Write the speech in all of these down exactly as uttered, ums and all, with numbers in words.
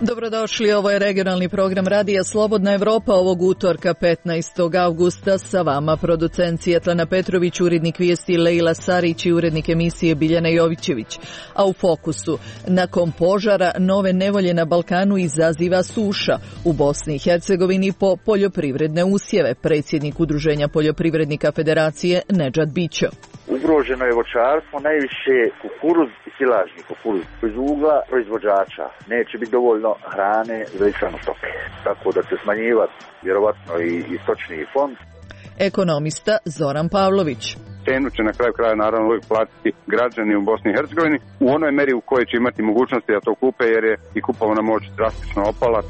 Dobrodošli, ovo je regionalni program Radija Slobodna Evropa ovog utorka petnaestog avgusta. Sa vama producent Sjetlana Petrović, urednik vijesti Lejla Sarić i urednik emisije Biljana Jovićević. A u fokusu, nakon požara nove nevolje na Balkanu izaziva suša. U Bosni i Hercegovini po poljoprivredne usjeve. Predsjednik Udruženja poljoprivrednika Federacije Nedžad Bićo. Ugroženo je voćarstvo, najviše kukuruz i silažni kukuruz. Iz ugla proizvođača neće biti dovoljno hrane za ishranu stoke. Tako da će smanjivati vjerovatno i, i stočni fond. Ekonomista Zoran Pavlović. Cenu će na kraju kraja naravno uvijek platiti građani u Bosni i Hercegovini u onoj meri u kojoj će imati mogućnosti da to kupe, jer je i kupovna moć drastično opala.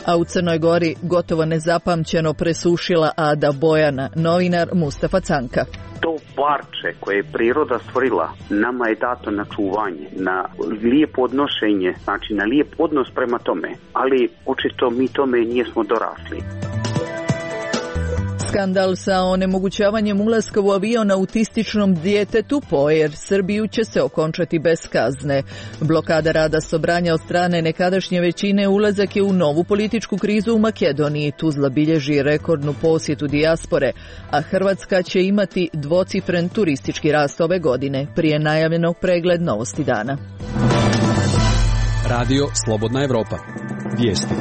A u Crnoj Gori gotovo nezapamćeno presušila Ada Bojana, novinar Mustafa Canka. To parče koje je priroda stvorila nama je dato na čuvanje, na lijepo odnošenje, znači na lijep odnos prema tome, ali očito mi tome nismo dorasli. Skandal sa onemogućavanjem ulaska u avion autističnom djetetu po Air Srbiju će se okončati bez kazne. Blokada rada Sobranja od strane nekadašnje većine ulazak je u novu političku krizu u Makedoniji. Tuzla bilježi rekordnu posjetu dijaspore, a Hrvatska će imati dvocifren turistički rast ove godine. Prije najavljenog pregled novosti dana. Radio Slobodna Evropa. Vijesti.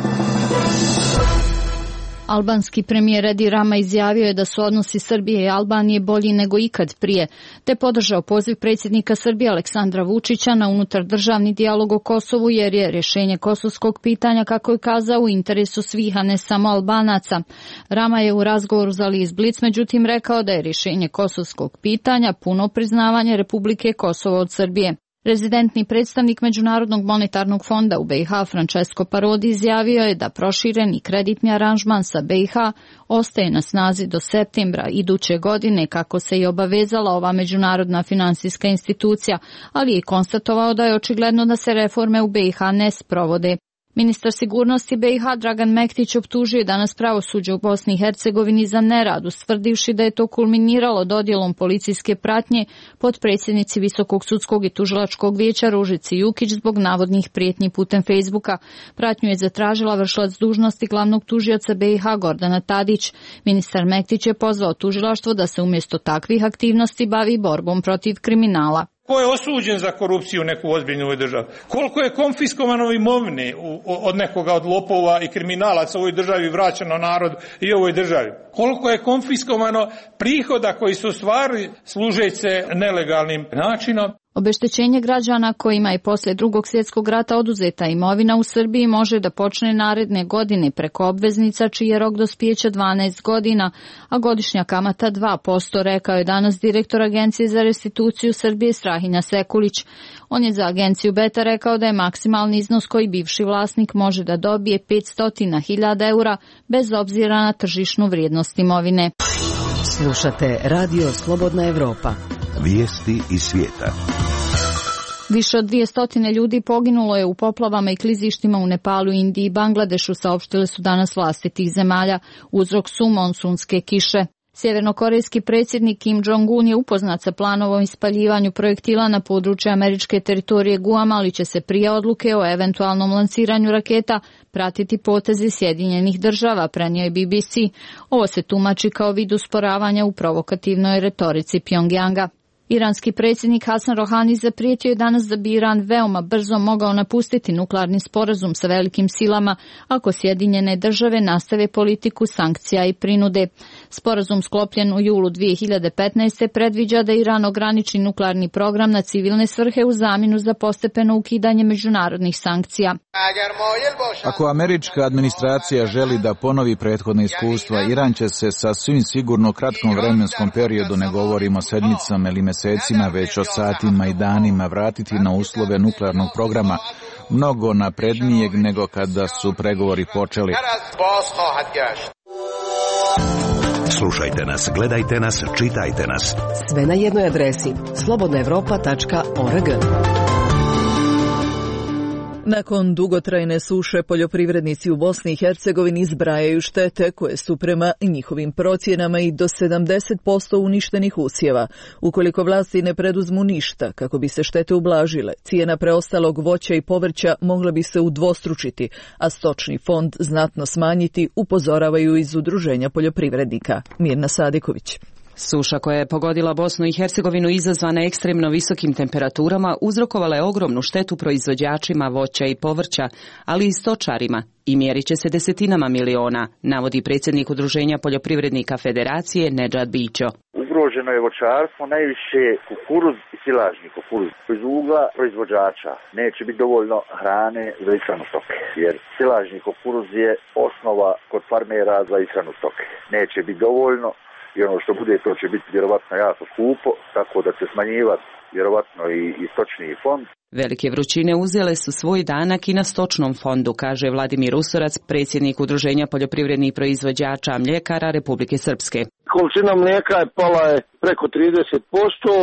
Albanski premijer Edi Rama izjavio je da su odnosi Srbije i Albanije bolji nego ikad prije, te podržao poziv predsjednika Srbije Aleksandra Vučića na unutar državni dijalog o Kosovu, jer je rješenje kosovskog pitanja, kako je kazao, u interesu svih, a ne samo Albanaca. Rama je u razgovoru za list Blic međutim rekao da je rješenje kosovskog pitanja puno priznavanje Republike Kosovo od Srbije. Rezidentni predstavnik Međunarodnog monetarnog fonda u B i H Francesco Parodi izjavio je da prošireni kreditni aranžman sa B i H ostaje na snazi do septembra iduće godine, kako se i obavezala ova međunarodna finansijska institucija, ali je konstatovao da je očigledno da se reforme u B i H ne sprovode. Ministar sigurnosti B i H Dragan Mektić optužio je danas pravosuđe u Bosni i Hercegovini za nerad, ustvrdivši da je to kulminiralo dodjelom policijske pratnje potpredsjednici Visokog sudskog i tužilačkog vijeća Ružici Jukić zbog navodnih prijetnji putem Facebooka. Pratnju je zatražila vršilac dužnosti glavnog tužioca B i H Gordana Tadić. Ministar Mektić je pozvao tužilaštvo da se umjesto takvih aktivnosti bavi borbom protiv kriminala. Ko je osuđen za korupciju u neku ozbiljnu ovoj državi? Koliko je konfiskovano imovine od nekoga od lopova i kriminalaca u ovoj državi vraćeno narod i ovoj državi? Koliko je konfiskovano prihoda koji su stvarili služeći se nelegalnim načinom? Obeštećenje građana kojima je poslije Drugog svjetskog rata oduzeta imovina u Srbiji može da počne naredne godine preko obveznica čiji je rok dospijeća dvanaest godina, a godišnja kamata dva posto, rekao je danas direktor Agencije za restituciju Srbije Strahinja Sekulić. On je za agenciju Beta rekao da je maksimalni iznos koji bivši vlasnik može da dobije petsto hiljada eura bez obzira na tržišnu vrijednost imovine. Slušate Radio Slobodna Evropa. Vijesti iz svijeta. Više od dvjesto ljudi poginulo je u poplavama i klizištima u Nepalu, Indiji i Bangladešu, saopštile su danas vlasti tih zemalja. Uzrok su monsunske kiše. Sjevernokorejski predsjednik Kim Jong-un je upoznat sa planovom ispaljivanju projektila na području američke teritorije Guam, ali će se prije odluke o eventualnom lansiranju raketa pratiti potezi Sjedinjenih država, prenio je B B C. Ovo se tumači kao vid usporavanja u provokativnoj retorici Pjongjanga. Iranski predsjednik Hasan Rohani zaprijetio je danas da bi Iran veoma brzo mogao napustiti nuklearni sporazum sa velikim silama ako Sjedinjene države nastave politiku sankcija i prinude. Sporazum sklopljen u julu dvije hiljade petnaeste. predviđa da Iran ograniči nuklearni program na civilne svrhe u zamjenu za postepeno ukidanje međunarodnih sankcija. Ako američka administracija želi da ponovi prethodne iskustva, Iran će se sa svim sigurno kratkom vremenskom periodu, ne govorimo o sedmicama ili mesecima, već o satima i danima, vratiti na uslove nuklearnog programa mnogo naprednijeg nego kada su pregovori počeli. Slušajte nas, gledajte nas, čitajte nas. Sve na jednoj adresi slobodna evropa tačka org. Nakon dugotrajne suše poljoprivrednici u Bosni i Hercegovini zbrajaju štete koje su prema njihovim procjenama i do sedamdeset posto uništenih usjeva. Ukoliko vlasti ne preduzmu ništa kako bi se štete ublažile, cijena preostalog voća i povrća mogla bi se udvostručiti, a stočni fond znatno smanjiti, upozoravaju iz Udruženja poljoprivrednika. Mirna Sadiković. Suša koja je pogodila Bosnu i Hercegovinu izazvana ekstremno visokim temperaturama uzrokovala je ogromnu štetu proizvođačima voća i povrća, ali i stočarima, i mjerit će se desetinama miliona, navodi predsjednik Udruženja poljoprivrednika Federacije Nedžad Bićo. Ugroženo je voćarstvo, najviše kukuruz i silažni kukuruz. Iz ugla proizvođača neće biti dovoljno hrane za ishranu stoke, jer silažni kukuruz je osnova kod farmera za ishranu stoke. Neće biti dovoljno. I ono što bude, to će biti vjerovatno jako skupo, tako da će smanjivati vjerovatno i, i stočni fond. Velike vrućine uzele su svoj danak i na stočnom fondu, kaže Vladimir Usorac, predsjednik Udruženja poljoprivrednih proizvođača mljekara Republike Srpske. Količina mlijeka je pala je preko trideset posto,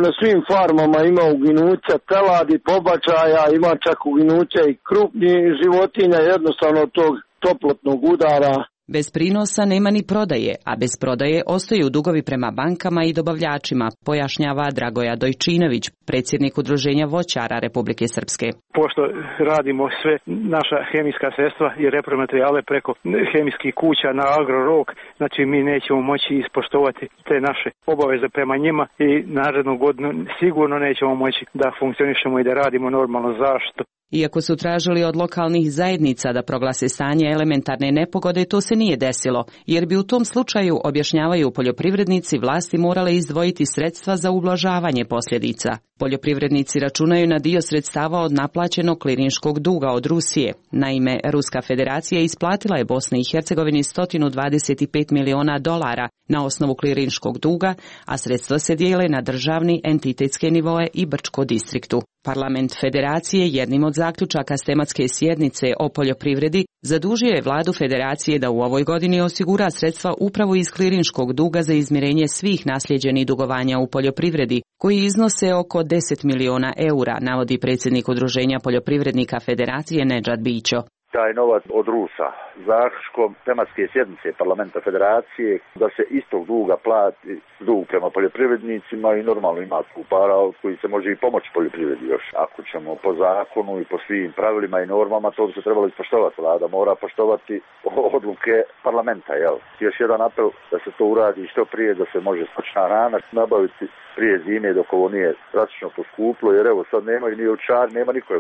na svim farmama ima uginuća teladi, pobačaja, ima čak uginuća i krupnih životinja, jednostavno tog toplotnog udara. Bez prinosa nema ni prodaje, a bez prodaje ostaju dugovi prema bankama i dobavljačima, pojašnjava Dragoja Dojčinović, predsjednik Udruženja voćara Republike Srpske. Pošto radimo sve naša hemijska sredstva i repromaterijale preko hemijskih kuća na Agrorok, znači mi nećemo moći ispoštovati te naše obaveze prema njima i narednu godinu sigurno nećemo moći da funkcionišemo i da radimo normalno. Zašto? Iako su tražili od lokalnih zajednica da proglase stanje elementarne nepogode, to se nije desilo, jer bi u tom slučaju, objašnjavaju poljoprivrednici, vlasti morale izdvojiti sredstva za ublažavanje posljedica. Poljoprivrednici računaju na dio sredstava od naplaćenog klirinškog duga od Rusije. Naime, Ruska federacija isplatila je Bosni i Hercegovini sto dvadeset pet miliona dolara na osnovu klirinškog duga, a sredstva se dijele na državni, entitetske nivoe i Brčko distriktu. Parlament Federacije jednim od zaključaka s tematske sjednice o poljoprivredi zadužio je vladu Federacije da u ovoj godini osigura sredstva upravo iz klirinškog duga za izmirenje svih nasljeđenih dugovanja u poljoprivredi, koji iznose oko deset miliona eura, navodi predsjednik Udruženja poljoprivrednika Federacije Nedžad Bićo. Taj novac od Rusa zaključkom tematske sjednice Parlamenta Federacije da se istog duga plati dug prema poljoprivrednicima i normalno ima tu para od koji se može i pomoći poljoprivredi još. Ako ćemo po zakonu i po svim pravilima i normama, to bi se trebalo ispoštovati. Vlada mora poštovati odluke parlamenta. Jel? Još jedan apel da se to uradi što prije, da se može stočna hrana nabaviti prije zime dok ovo nije drastično poskuplo, jer evo sad nema ni ovčari, nema niko,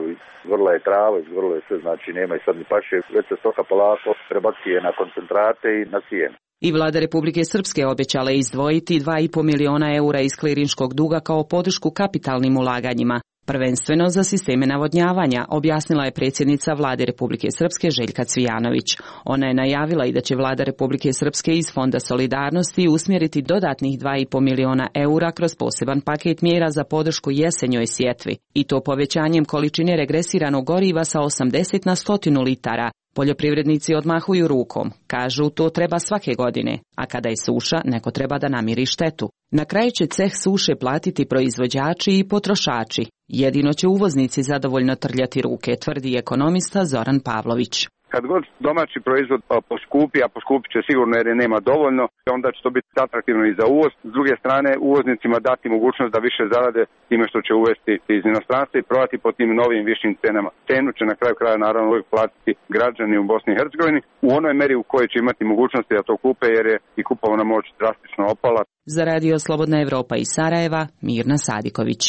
vrla je trava, vrlo je sve, znači nema i sad ni paše, već se stoka polako prebacuje na koncentrate i na cijenu. I vlada Republike Srpske obećala izdvojiti dva i po miliona eura iz klirinškog duga kao podršku kapitalnim ulaganjima, prvenstveno za sisteme navodnjavanja, objasnila je predsjednica vlade Republike Srpske Željka Cvijanović. Ona je najavila i da će vlada Republike Srpske iz Fonda solidarnosti usmjeriti dodatnih dva i po miliona eura kroz poseban paket mjera za podršku jesenjoj sjetvi, i to povećanjem količine regresiranog goriva sa osamdeset na sto litara. Poljoprivrednici odmahuju rukom, kažu to treba svake godine, a kada je suša, neko treba da namiri štetu. Na kraju će ceh suše platiti proizvođači i potrošači. Jedino će uvoznici zadovoljno trljati ruke, tvrdi ekonomista Zoran Pavlović. Kad god domaći proizvod poskupi, a poskupit će sigurno jer je nema dovoljno, onda će to biti atraktivno i za uvoz. S druge strane, uvoznicima dati mogućnost da više zarade time što će uvesti iz inostranstva i prodati po tim novim višim cenama. Cenu će na kraju kraja naravno uvijek platiti građani u Bosni i Hercegovini u onoj meri u kojoj će imati mogućnosti da to kupe, jer je i kupovna moć drastično opala. Za Radio Slobodna Evropa iz Sarajeva, Mirna Sadiković.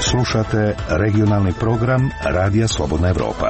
Slušate regionalni program Radija Slobodna Evropa.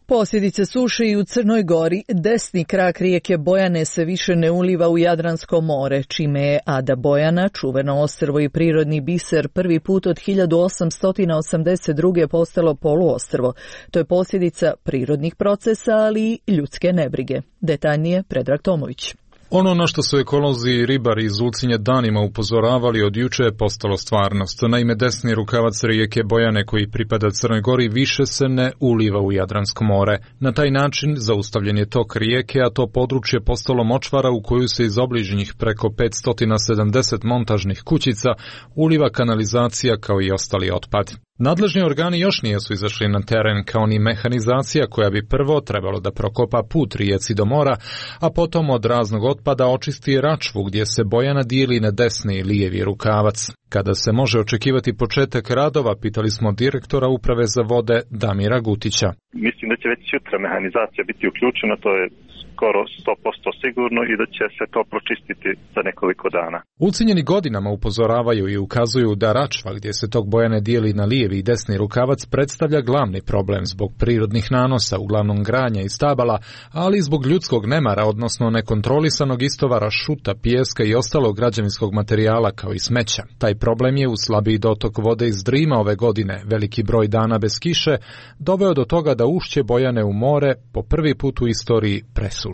Posljedice suše i u Crnoj Gori, desni krak rijeke Bojane se više ne uliva u Jadransko more, čime je Ada Bojana, čuveno ostrvo i prirodni biser, prvi put od hiljadu osamsto osamdeset druge postalo poluostrvo. To je posljedica prirodnih procesa, ali i ljudske nebrige. Detaljnije Predrag Tomović. Ono na što su ekolozi i ribari iz Ulcinja danima upozoravali od juče je postalo stvarnost. Naime, desni rukavac rijeke Bojane koji pripada Crnoj Gori više se ne uliva u Jadransko more. Na taj način zaustavljen je tok rijeke, a to područje postalo močvara u koju se iz obližnjih preko petsto sedamdeset montažnih kućica uliva kanalizacija kao i ostali otpad. Nadležni organi još nisu izašli na teren kao ni mehanizacija koja bi prvo trebalo da prokopa put rijeci do mora, a potom od raznog otpada očisti račvu gdje se Bojana dijeli na desni i lijevi rukavac. Kada se može očekivati početak radova, pitali smo direktora Uprave za vode Damira Gutića. Mislim da će već sutra mehanizacija biti uključena, to je skoro sto posto sigurno i da će se to pročistiti za nekoliko dana. Ulcinjeni godinama upozoravaju i ukazuju da račva gdje se tok Bojane dijeli na lijevi i desni rukavac predstavlja glavni problem zbog prirodnih nanosa, uglavnom granja i stabala, ali i zbog ljudskog nemara, odnosno nekontrolisanog istovara šuta, pijeska i ostalog građevinskog materijala kao i smeća. Taj problem je u slabiji dotok vode iz Drima ove godine, veliki broj dana bez kiše, doveo do toga da ušće Bojane u more po prvi put u istoriji presuši.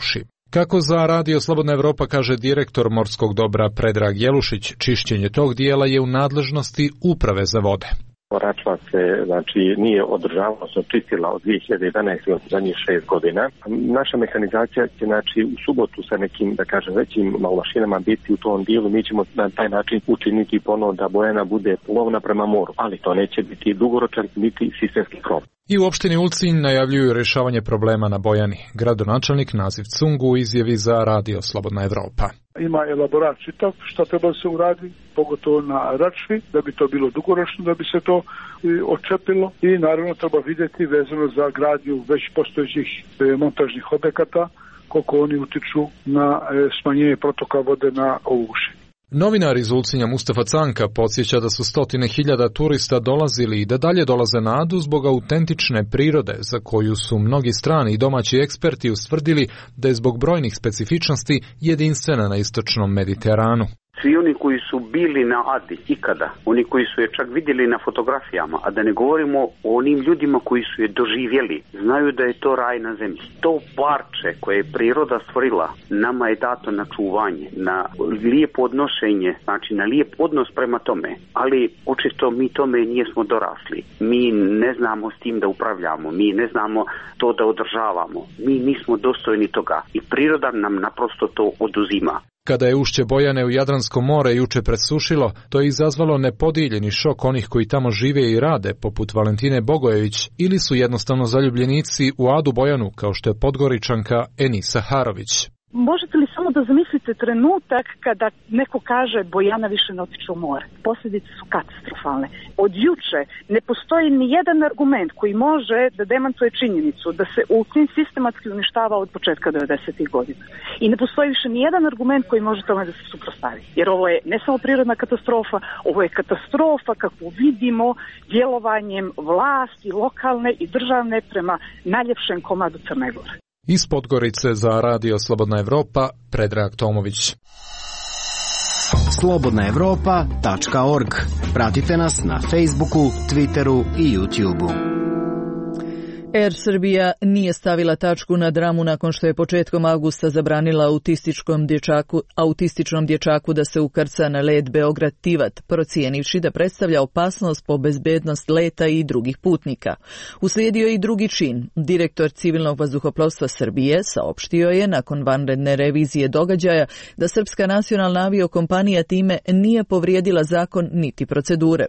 Kako za Radio Slobodna Evropa kaže direktor morskog dobra Predrag Jelušić, čišćenje tog dijela je u nadležnosti Uprave za vode. Račva se znači nije održavala, se čistila od dvije hiljade jedanaeste od zadnjih šest godina. Naša mehanizacija će znači u subotu sa nekim, da kažem, većim mašinama biti u tom dijelu. Mi ćemo na taj način učiniti ponovo da Bojana bude plovna prema moru, ali to neće biti dugoročan niti sistemski krov. I u opštini Ulcinj najavljuju rješavanje problema na Bojani. Gradonačelnik Naziv Cungu u izjavi za Radio Slobodna Evropa. Ima elaborat čitav šta treba da se uradi, pogotovo na račvi, da bi to bilo dugoročno, da bi se to očepilo i naravno treba vidjeti vezano za gradnju već postojećih montažnih objekata, koliko oni utiču na smanjenje protoka vode na ovu uši. Novinar iz Ulcinja Mustafa Canka podsjeća da su stotine hiljada turista dolazili i da dalje dolaze na Adu zbog autentične prirode za koju su mnogi strani i domaći eksperti ustvrdili da je zbog brojnih specifičnosti jedinstvena na istočnom Mediteranu. Svi oni koji su bili na Adi ikada, oni koji su je čak vidjeli na fotografijama, a da ne govorimo o onim ljudima koji su je doživjeli, znaju da je to raj na zemlji. To parče koje je priroda stvorila, nama je dato na čuvanje, na lijepo odnošenje, znači na lijep odnos prema tome, ali očito mi tome nismo dorasli. Mi ne znamo s tim da upravljamo, mi ne znamo to da održavamo, mi nismo dostojni toga i priroda nam naprosto to oduzima. Kada je ušće Bojane u Jadransko more juče presušilo, to je izazvalo nepodijeljeni šok onih koji tamo žive i rade, poput Valentine Bogojević, ili su jednostavno zaljubljenici u Adu Bojanu, kao što je Podgoričanka Enisa Harović. Možete li samo da zamislite trenutak kada neko kaže Bojana više ne otiče u more? Posljedice su katastrofalne. Od juče ne postoji ni jedan argument koji može da demantuje činjenicu da se Ulcinj sistematski uništava od početka devedesetih godina. I ne postoji više ni jedan argument koji može tome da se suprotstavi. Jer ovo je ne samo prirodna katastrofa, ovo je katastrofa kakvu vidimo djelovanjem vlasti lokalne i državne prema najljepšem komadu Crne Gore. Iz Podgorice za Radio Slobodna Evropa, Predrag Tomović. slobodna evropa tačka org. Pratite nas na Facebooku, Twitteru i YouTubeu. Air Srbija nije stavila tačku na dramu nakon što je početkom avgusta zabranila autističkom dječaku, autističnom dječaku da se ukrca na let Beograd-Tivat, procijenivši da predstavlja opasnost po bezbednost leta i drugih putnika. Uslijedio je i drugi čin. Direktor civilnog vazduhoplovstva Srbije saopštio je nakon vanredne revizije događaja da Srpska nacionalna aviokompanija time nije povrijedila zakon niti procedure.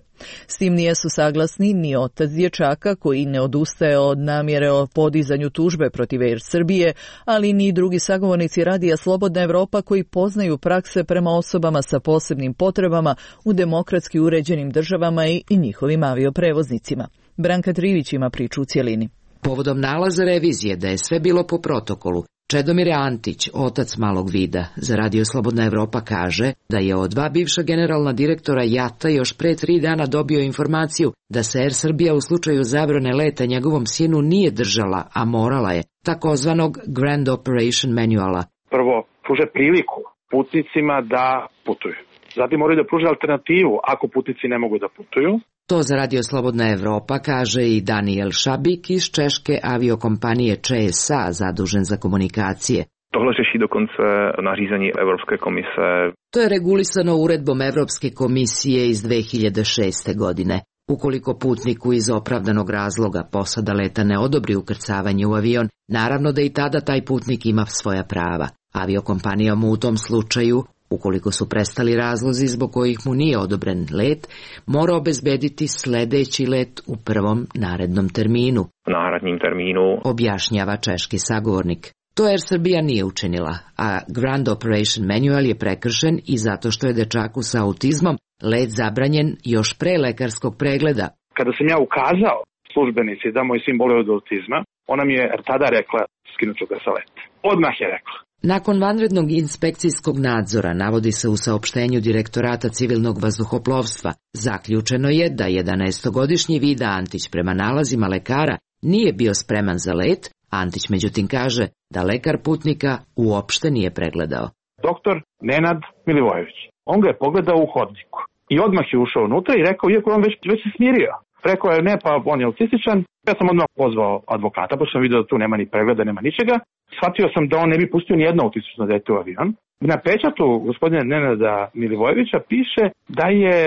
S tim nijesu saglasni ni otac dječaka koji ne odustaje od namjere o podizanju tužbe protiv Air Srbije, ali ni drugi sagovornici Radija Slobodna Evropa koji poznaju prakse prema osobama sa posebnim potrebama u demokratski uređenim državama i njihovim avioprevoznicima. Branka Trivić ima priču u cjelini. Povodom nalaza revizije da je sve bilo po protokolu, Čedomir Antić, otac malog vida, za Radio Slobodna Evropa kaže da je od dva bivša generalna direktora Jata još pre tri dana dobio informaciju da se Air Srbija u slučaju zabrane leta njegovom sinu nije držala, a morala je, takozvanog Grand Operation Manuala. Prvo, pruže priliku putnicima da putuju. Zatim moraju da pruže alternativu ako putnici ne mogu da putuju. To za Radio Slobodna Evropa kaže i Daniel Šabik iz češke aviokompanije Č S A, zadužen za komunikacije. Tohle řeší dokonce nařízení Evropske komise. To je regulisano uredbom Evropske komisije iz dve hiljade šeste. godine. Ukoliko putniku iz opravdanog razloga posada leta ne odobri ukrcavanje u avion, naravno da i tada taj putnik ima svoja prava. Aviokompanija mu u tom slučaju, ukoliko su prestali razlozi zbog kojih mu nije odobren let, mora obezbediti sledeći let u prvom narednom terminu. Náhradním termínu, objašnjava češki sagovornik. To Air Srbija nije učinila, a Ground Operation Manual je prekršen i zato što je dečaku sa autizmom let zabranjen još pre lekarskog pregleda. Kada sam ja ukazao službenici da moj sin boluje od autizma, ona mi je tada rekla skinut ću ga sa leta. Odmah je rekla. Nakon vanrednog inspekcijskog nadzora, navodi se u saopštenju Direktorata civilnog vazduhoplovstva, zaključeno je da jedanaestogodišnji Vida Antić prema nalazima lekara nije bio spreman za let. Antić međutim kaže da lekar putnika uopšte nije pregledao. Doktor Nenad Milivojević, on ga je pogledao u hodniku i odmah je ušao unutra i rekao, iako on već, već se smirio. Rekao je, ne, pa on je autističan. Ja sam odmah pozvao advokata, pa sam vidio da tu nema ni pregleda, nema ničega. Shvatio sam da on ne bi pustio ni jedno autistično dete u avion. Na pečatu gospodina Nenada Milivojevića piše da je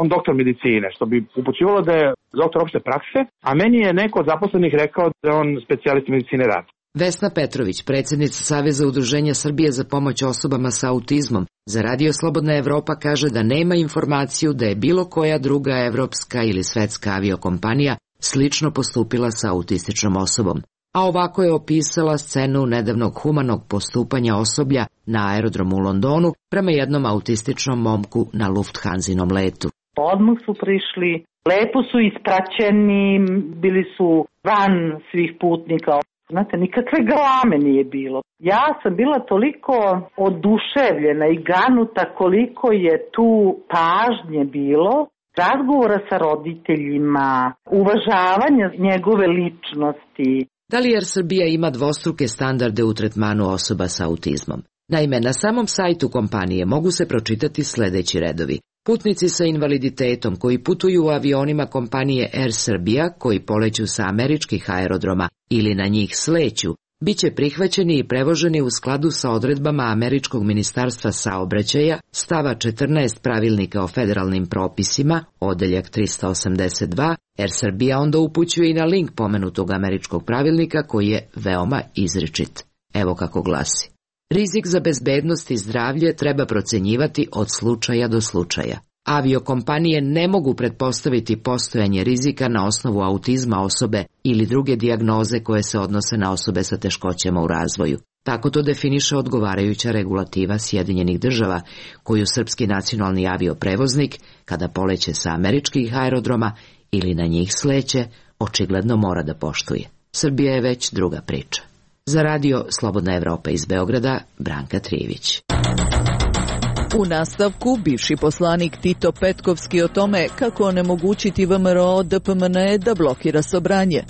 on doktor medicine, što bi upućivalo da je doktor opšte prakse, a meni je neko od zaposlenih rekao da je on specijalist medicine rada. Vesna Petrović, predsjednica Saveza udruženja Srbije za pomoć osobama sa autizmom, za Radio Slobodna Evropa kaže da nema informaciju da je bilo koja druga evropska ili svetska aviokompanija slično postupila sa autističnom osobom. A ovako je opisala scenu nedavnog humanog postupanja osoblja na aerodromu u Londonu prema jednom autističnom momku na Lufthansinom letu. Odmah su prišli, lepo su ispraćeni, bili su van svih putnika. Znate, nikakve galame nije bilo. Ja sam bila toliko oduševljena i ganuta koliko je tu pažnje bilo, razgovora sa roditeljima, uvažavanja njegove ličnosti. Da li Air Srbija ima dvostruke standarde u tretmanu osoba sa autizmom? Naime, na samom sajtu kompanije mogu se pročitati sledeći redovi. Putnici sa invaliditetom koji putuju u avionima kompanije Air Srbija, koji poleću sa američkih aerodroma ili na njih sleću, bit će prihvaćeni i prevoženi u skladu sa odredbama Američkog ministarstva saobraćaja, stava četrnaest pravilnika o federalnim propisima, odeljak trista osamdeset dva, Air Srbija onda upućuje i na link pomenutog američkog pravilnika koji je veoma izričit. Evo kako glasi. Rizik za bezbednost i zdravlje treba procenjivati od slučaja do slučaja. Aviokompanije ne mogu pretpostaviti postojanje rizika na osnovu autizma osobe ili druge dijagnoze koje se odnose na osobe sa teškoćama u razvoju. Tako to definiše odgovarajuća regulativa Sjedinjenih država, koju srpski nacionalni avioprevoznik, kada poleće sa američkih aerodroma ili na njih sleće, očigledno mora da poštuje. Srbija je već druga priča. Za Radio Slobodna Evropa iz Beograda, Branka Trijević. U nastavku, bivši poslanik Tito Petkovski o tome kako onemogućiti V M R O D P M N da blokira Sobranje.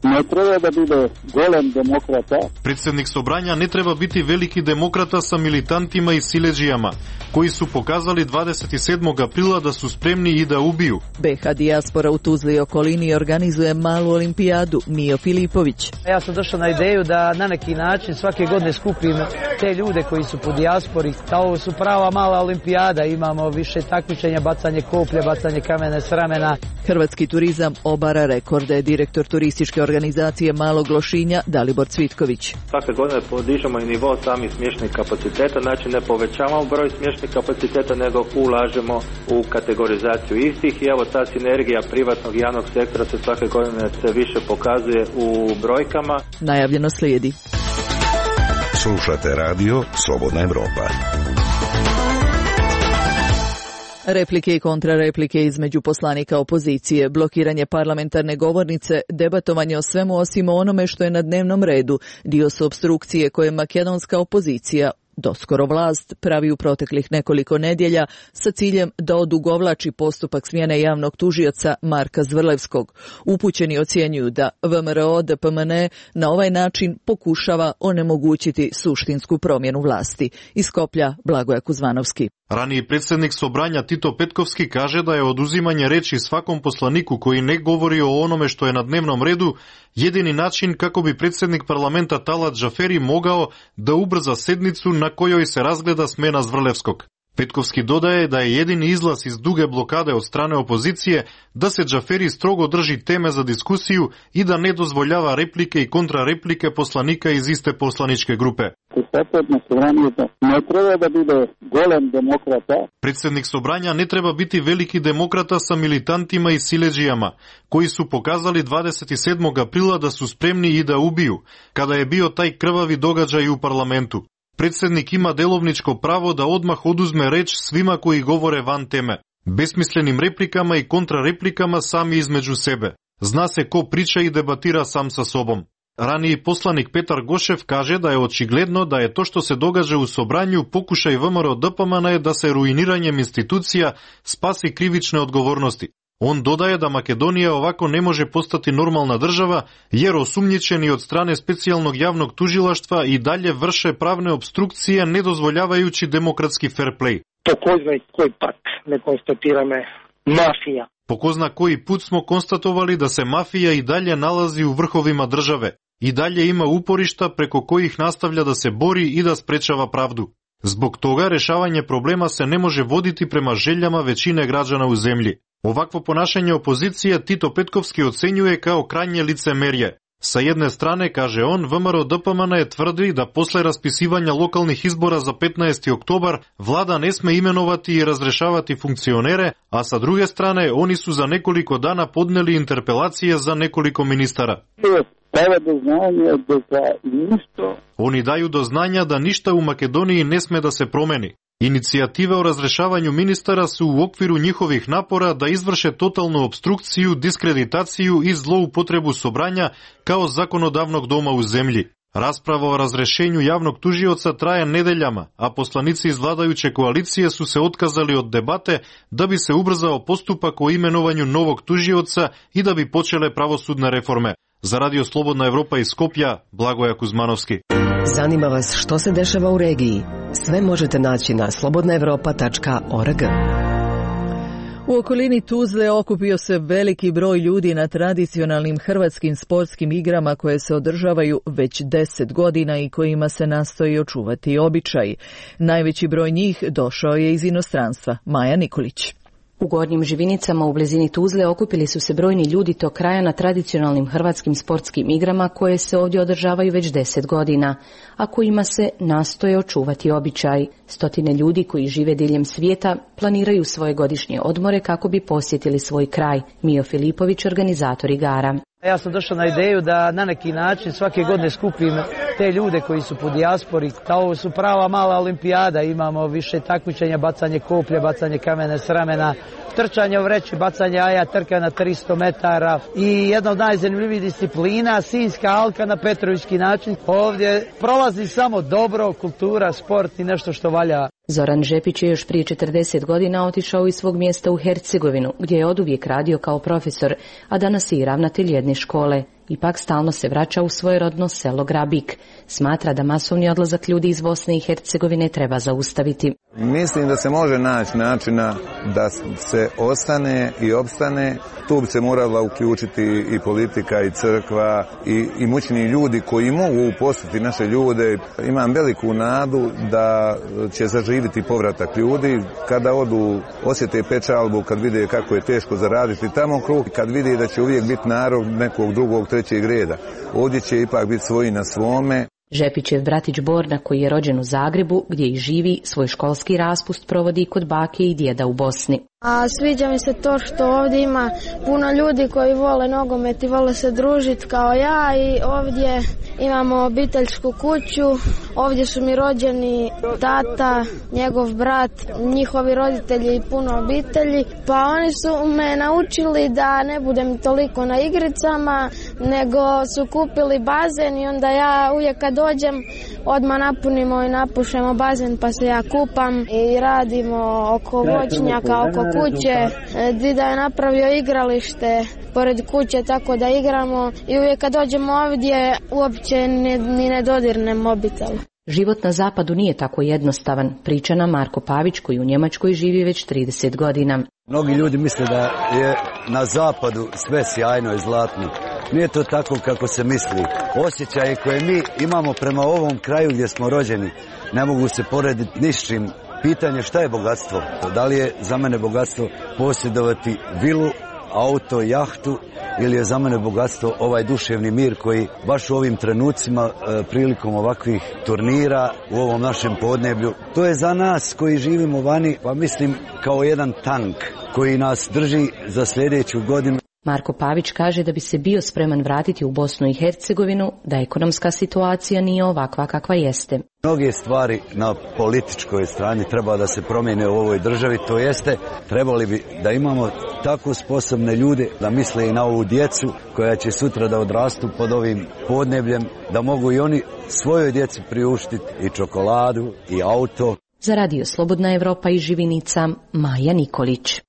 Ne treba da bude golem demokrata. Predsednik Sobranja ne treba biti veliki demokrata sa militantima i sileđijama, koji su pokazali dvadeset sedmog aprila da su spremni i da ubiju. B H dijaspora u Tuzli i okolini organizuje malu olimpijadu. Mio Filipović. Ja sam došao na ideju da na neki način svake godine skupim te ljude koji su po dijaspori. Ovo su prava mala olimpijada, imamo više takmičenja, bacanje koplje, bacanje kamene s ramena. Hrvatski turizam obara rekorde. Direktor turističke organizacije Malog Lošinja Dalibor Cvitković. Svake godine podižemo i nivo samih smješnih kapaciteta, znači ne povećavamo broj smješnih kapaciteta, nego ulažemo u kategorizaciju istih i evo ta sinergija privatnog i javnog sektora se svake godine sve više pokazuje u brojkama. Najavljeno slijedi. Slušate radio Slobodna Evropa. Replike i kontrareplike između poslanika opozicije, blokiranje parlamentarne govornice, debatovanje o svemu osim onome što je na dnevnom redu, dio su opstrukcije koje makedonska opozicija, doskoro vlast, pravi u proteklih nekoliko nedjelja sa ciljem da odugovlači postupak smjene javnog tužioca Marka Zvrlevskog. Upućeni ocjenjuju da V M R O D P M N na ovaj način pokušava onemogućiti suštinsku promjenu vlasti. Iz Skoplja, Blagoja Kuzmanovski. Raniji predsednik Sobranja Tito Petkovski kaže da je oduzimanje reči svakom poslaniku koji ne govori o onome što je na dnevnom redu jedini način kako bi predsednik parlamenta Talat Džaferi mogao da ubrza sednicu na kojoj se razgleda smena Zvrlevskog. Petkovski dodaje da je jedini izlaz iz duge blokade od strane opozicije da se Džaferi strogo drži teme za diskusiju i da ne dozvoljava replike i kontrareplike poslanika iz iste poslaničke grupe. Ne treba da bude golem demokrata. Predsednik Sobranja ne treba biti veliki demokrata sa militantima i siledžijama, koji su pokazali dvadeset sedmog aprila da su spremni i da ubiju, kada je bio taj krvavi događaj u parlamentu. Predsednik ima delovničko pravo da odmah oduzme reč svima koji govore van teme, besmislenim replikama i kontrareplikama sami između sebe. Zna se ko priča i debatira sam sa sobom. Raniji poslanik Petar Gošev kaže da je očigledno da je to što se događa u Sobranju pokušaj V M R O D P M N da se ruiniranjem institucija spasi krivične odgovornosti. On dodaje da Makedonija ovako ne može postati normalna država, jer osumnjičeni od strane specijalnog javnog tužilaštva i dalje vrše pravne obstrukcije ne dozvoljavajući demokratski fair play. Po ko zna koji pat ne konstatirame mafija. Po ko zna koji put smo konstatovali da se mafija i dalje nalazi u vrhovima države i dalje ima uporišta preko kojih nastavlja da se bori i da sprečava pravdu. Zbog toga rešavanje problema se ne može voditi prema željama većine građana u zemlji. Ovakvo ponašanje opozicije Tito Petkovski ocenjuje kao krajnje licemerje. Sa jedne strane, kaže on, V M R O D P M N tvrdi da posle raspisivanja lokalnih izbora za petnaesti oktobar vlada ne sme imenovati i razrešavati funkcionere, a sa druge strane oni su za nekoliko dana podneli interpelacije za nekoliko ministara. Oni daju do znanja da ništa u Makedoniji ne sme da se promeni. Inicijative o razrešavanju ministara su u okviru njihovih napora da izvrše totalnu obstrukciju, diskreditaciju i zloupotrebu Sobranja kao zakonodavnog doma u zemlji. Rasprava o razrešenju javnog tužioca traje nedeljama, a poslanici iz vladajuće koalicije su se otkazali od debate da bi se ubrzao postupak o imenovanju novog tužioca i da bi počele pravosudne reforme. Za Radio Slobodna Evropa iz Skopja, Blagoja Kuzmanovski. Zanima vas što se dešava u regiji? Sve možete naći na slobodna evropa tačka org. U okolini Tuzle okupio se veliki broj ljudi na tradicionalnim hrvatskim sportskim igrama koje se održavaju već deset godina i kojima se nastoji očuvati običaj. Najveći broj njih došao je iz inostranstva. Maja Nikolić. U Gornjim Živinicama u blizini Tuzle okupili su se brojni ljudi tog kraja na tradicionalnim hrvatskim sportskim igrama koje se ovdje održavaju već deset godina, a kojima se nastoje očuvati običaj. Stotine ljudi koji žive diljem svijeta planiraju svoje godišnje odmore kako bi posjetili svoj kraj. Mio Filipović, organizator igara. Ja sam došao na ideju da na neki način svake godine skupim te ljude koji su po dijaspori. Ovo su prava mala olimpijada, imamo više takmičenja, bacanje koplje, bacanje kamene s ramena, trčanje u vreći, bacanje jaja, trka na tristo metara i jedna od najzanimljivijih disciplina, Sinjska alka na Petrovićki način. Ovdje prolazi samo dobro, kultura, sport i nešto što valja. Zoran Žepić je još prije četrdeset godina otišao iz svog mjesta u Hercegovinu, gdje je oduvijek radio kao profesor, a danas je i ravnatelj jedne škole. Ipak stalno se vraća u svoje rodno selo Grabik. Smatra da masovni odlazak ljudi iz Bosne i Hercegovine treba zaustaviti. Mislim da se može naći načina da se ostane i opstane. Tu bi se morala uključiti i politika i crkva i imućni ljudi koji mogu uposliti naše ljude. Imam veliku nadu da će zaživiti povratak ljudi kada odu, osjete pečalbu, kad vide kako je teško zaraditi tamo krug, kad vide da će uvijek biti narod nekog drugog, trećeg reda. Ovdje će ipak biti svoji na svome. Žepićev bratić Borna, koji je rođen u Zagrebu, gdje i živi, svoj školski raspust provodi kod bake i djeda u Bosni. A sviđa mi se to što ovdje ima puno ljudi koji vole nogomet i vole se družiti kao ja i ovdje imamo obiteljsku kuću, ovdje su mi rođeni tata, njegov brat, njihovi roditelji i puno obitelji, pa oni su me naučili da ne budem toliko na igricama, nego su kupili bazen i onda ja uvijek kad dođem odmah napunimo i napušemo bazen pa se ja kupam i radimo oko voćnjaka, oko kuće. Dida je napravio igralište pored kuće tako da igramo i uvijek kad dođemo ovdje uopće ni, ni ne dodirnem mobitel. Život na zapadu nije tako jednostavan, priča nam Marko Pavić koji u Njemačkoj živi već trideset godina. Mnogi ljudi misle da je na zapadu sve sjajno i zlatno. Nije to tako kako se misli. Osjećaje koje mi imamo prema ovom kraju gdje smo rođeni ne mogu se porediti ni s čim. Pitanje šta je bogatstvo? Da li je za mene bogatstvo posjedovati vilu, auto, jahtu ili je za mene bogatstvo ovaj duševni mir koji baš u ovim trenucima e, prilikom ovakvih turnira u ovom našem podneblju. To je za nas koji živimo vani, pa mislim kao jedan tank koji nas drži za sljedeću godinu. Marko Pavić kaže da bi se bio spreman vratiti u Bosnu i Hercegovinu, da ekonomska situacija nije ovakva kakva jeste. Mnoge stvari na političkoj strani treba da se promijene u ovoj državi, to jeste trebali bi da imamo tako sposobne ljude da misle i na ovu djecu koja će sutra da odrastu pod ovim podnebljem, da mogu i oni svojoj djeci priuštiti i čokoladu i auto. Za Radio Slobodna Evropa iz Živinica, Maja Nikolić.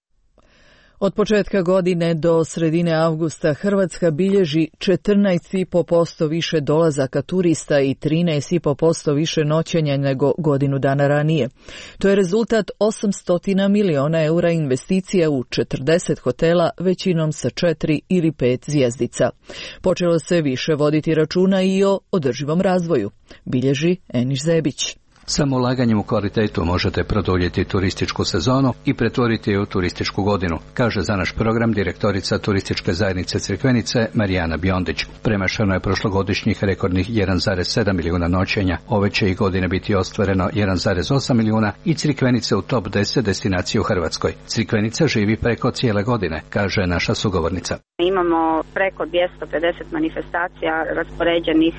Od početka godine do sredine avgusta Hrvatska bilježi četrnaest zarez pet posto više dolazaka turista i trinaest zarez pet posto više noćenja nego godinu dana ranije. To je rezultat osamsto miliona eura investicija u četrdeset hotela, većinom sa četiri ili pet zvjezdica. Počelo se više voditi računa i o održivom razvoju, bilježi Eniš Zebić. Samo ulaganjem u kvalitetu možete produljiti turističku sezonu i pretvoriti je u turističku godinu, kaže za naš program direktorica turističke zajednice Crikvenice Marijana Biondić. Premašeno je prošlogodišnjih rekordnih jedan zarez sedam milijuna noćenja, ove će i godine biti ostvareno jedan zarez osam milijuna i Crikvenice u top deset destinacije u Hrvatskoj. Crikvenica živi preko cijele godine, kaže naša sugovornica. Imamo preko dvjesto pedeset manifestacija raspoređenih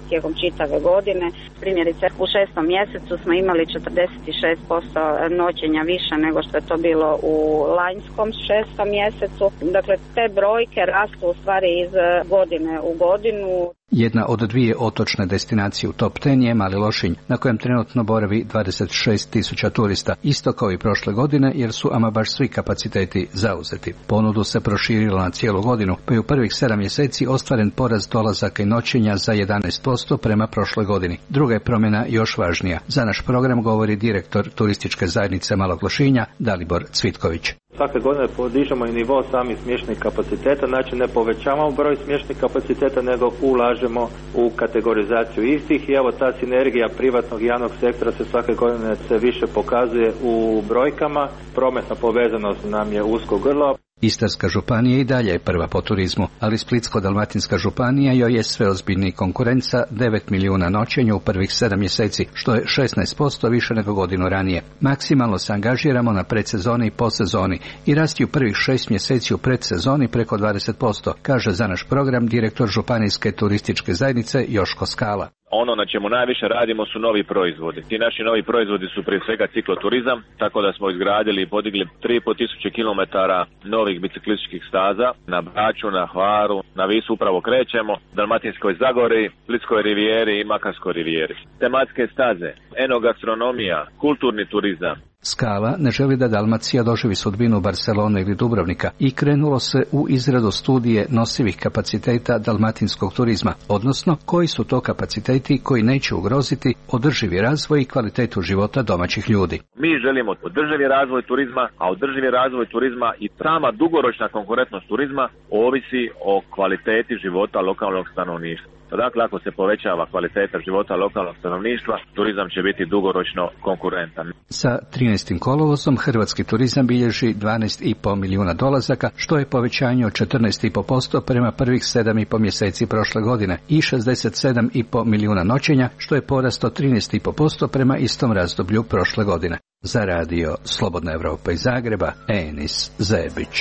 tijekom čitave godine. Primjerice u šestom mjesecu smo imali četrdeset šest posto noćenja više nego što je to bilo u lanjskom šestom mjesecu. Dakle, te brojke rastu u stvari iz godine u godinu. Jedna od dvije otočne destinacije u top deset je Mali Lošinj, na kojem trenutno boravi dvadeset šest tisuća turista, isto kao i prošle godine, jer su ama baš svi kapaciteti zauzeti. Ponudu se proširilo na cijelu godinu, pa je u prvih sedam mjeseci ostvaren porast dolazaka i noćenja za jedanaest posto prema prošloj godini. Druga je promjena još važnija. Za naš program govori direktor turističke zajednice Malog Lošinja, Dalibor Cvitković. Svake godine podižemo i nivo samih smještajnih kapaciteta, znači ne povećavamo broj smještajnih kapaciteta, nego ulažemo u kategorizaciju istih i evo ta sinergija privatnog i javnog sektora se svake godine se više pokazuje u brojkama. Prometna povezanost nam je usko grlo. Istarska županija i dalje je prva po turizmu, ali Splitsko-dalmatinska županija joj je sve ozbiljniji konkurent sa devet milijuna noćenja u prvih sedam mjeseci, što je šesnaest posto više nego godinu ranije. Maksimalno se angažiramo na predsezoni i postsezoni i rasti u prvih šest mjeseci u predsezoni preko dvadeset posto, kaže za naš program direktor županijske turističke zajednice Joško Skala. Ono na čemu najviše radimo su novi proizvodi. Ti naši novi proizvodi su prije svega cikloturizam, tako da smo izgradili i podigli tri i pol tisuće kilometara novih biciklističkih staza na Braču, na Hvaru, na Visu upravo krećemo, Dalmatinskoj Zagori, Splitskoj rivijeri i Makarskoj rivijeri. Tematske staze, enogastronomija, kulturni turizam. Skala ne želi da Dalmacija doživi sudbinu Barcelone ili Dubrovnika i krenulo se u izradu studije nosivih kapaciteta dalmatinskog turizma, odnosno koji su to kapaciteti koji neće ugroziti održivi razvoj i kvalitetu života domaćih ljudi. Mi želimo održivi razvoj turizma, a održivi razvoj turizma i sama dugoročna konkurentnost turizma ovisi o kvaliteti života lokalnog stanovništva. Dakle, ako se povećava kvaliteta života lokalnog stanovništva, turizam će biti dugoročno konkurentan. Sa trinaestim kolovozom hrvatski turizam bilježi dvanaest zarez pet milijuna dolazaka, što je povećanje od četrnaest zarez pet posto prema prvih sedam i pol mjeseci prošle godine i šezdeset sedam zarez pet milijuna noćenja, što je porast od trinaest zarez pet posto prema istom razdoblju prošle godine. Za radio Slobodna Evropa iz Zagreba, Enis Zebić.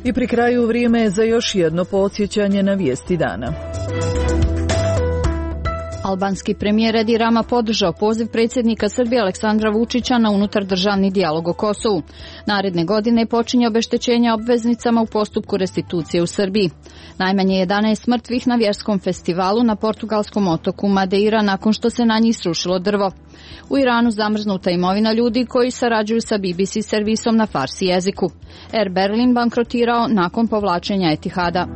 I pri kraju vrijeme je za još jedno podsjećanje na vijesti dana. Albanski premijer Edi Rama podržao poziv predsjednika Srbije Aleksandra Vučića na unutardržavni dijalog o Kosovu. Naredne godine počinje obeštećenje obveznicama u postupku restitucije u Srbiji. Najmanje jedanaest mrtvih na vjerskom festivalu na portugalskom otoku Madeira nakon što se na njih srušilo drvo. U Iranu zamrznuta imovina ljudi koji sarađuju sa B B C servisom na farsi jeziku. Air Berlin bankrotirao nakon povlačenja Etihada.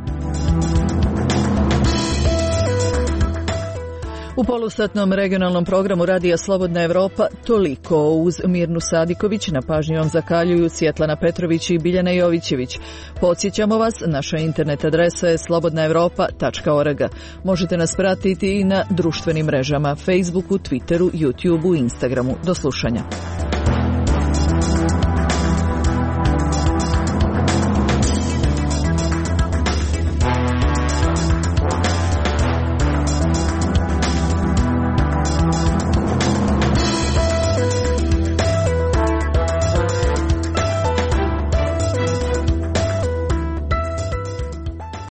U polusatnom regionalnom programu Radija Slobodna Evropa toliko. Uz Mirnu Sadiković na pažnju vam zakaljuju Svjetlana Petrović i Biljana Jovićević. Podsjećamo vas, naša internet adresa je slobodna evropa tačka org. Možete nas pratiti i na društvenim mrežama, Facebooku, Twitteru, YouTubeu i Instagramu. Do slušanja.